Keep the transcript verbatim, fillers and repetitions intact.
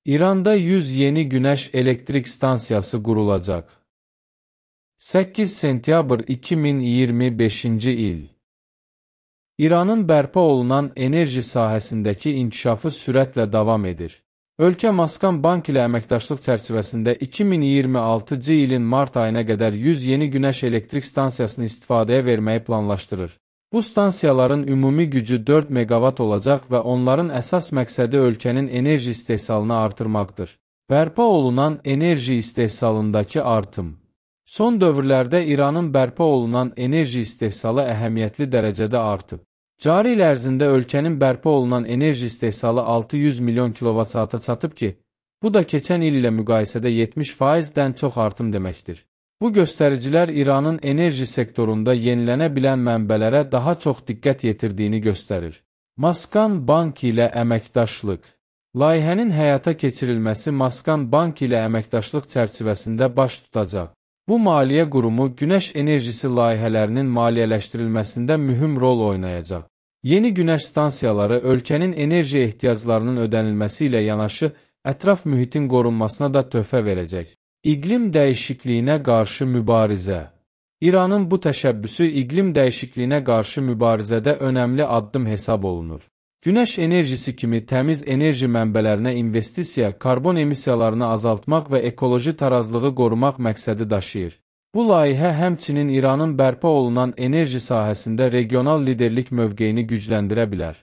İranda yüz yeni güneş elektrik stansiyası qurulacaq. səkkiz sentyabr iki min iyirmi beşinci il. İranın bərpa olunan enerji sahəsindəki inkişafı sürətlə davam edir. Ölkə Maskan Bank ilə əməkdaşlıq çərçivəsində iki min iyirmi altıncı ilin mart ayına qədər yüz yeni güneş elektrik stansiyasını istifadəyə verməyi planlaşdırır. Bu stansiyaların ümumi gücü dörd meqavat olacaq və onların əsas məqsədi ölkənin enerji istehsalını artırmaqdır. Bərpa olunan enerji istehsalındakı artım. Son dövrlərdə İranın bərpa olunan enerji istehsalı əhəmiyyətli dərəcədə artıb. Cari il ərzində ölkənin bərpa olunan enerji istehsalı altı yüz milyon kilovat saata çatıb ki, bu da keçən il ilə müqayisədə yetmiş faizdən çox artım deməkdir. Bu göstəricilər İranın enerji sektorunda yenilənə bilən mənbələrə daha çox diqqət yetirdiyini göstərir. Maskan Bank ilə əməkdaşlıq. Layihənin həyata keçirilməsi Maskan Bank ilə əməkdaşlıq çərçivəsində baş tutacaq. Bu maliyyə qurumu günəş enerjisi layihələrinin maliyyələşdirilməsində mühüm rol oynayacaq. Yeni günəş stansiyaları ölkənin enerji ehtiyaclarının ödənilməsi ilə yanaşı, ətraf mühitin qorunmasına da töhfə verəcək. İqlim dəyişikliyinə qarşı mübarizə. İranın bu təşəbbüsü iqlim dəyişikliyinə qarşı mübarizədə önəmli addım hesab olunur. Günəş enerjisi kimi təmiz enerji mənbələrinə investisiya, karbon emissiyalarını azaltmaq və ekoloji tarazlığı qorumaq məqsədi daşıyır. Bu layihə həmçinin İranın bərpa olunan enerji sahəsində regional liderlik mövqeyini gücləndirə bilər.